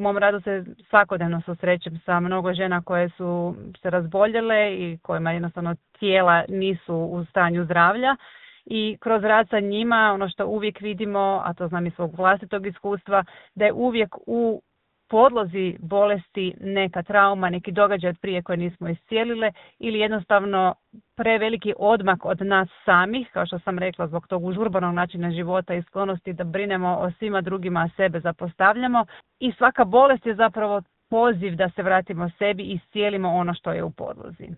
U mom radu se svakodnevno susrećem sa mnogo žena koje su se razboljele i kojima jednostavno tijela nisu u stanju zdravlja. I kroz rad sa njima, ono što uvijek vidimo, a to znam iz svog vlastitog iskustva, da je uvijek u podlozi bolesti neka trauma, neki događaj od prije koje nismo iscijelile ili jednostavno preveliki odmak od nas samih, kao što sam rekla, zbog tog užurbanog načina života i sklonosti da brinemo o svima drugima, a sebe zapostavljamo. I svaka bolest je zapravo poziv da se vratimo sebi i iscijelimo ono što je u podlozi.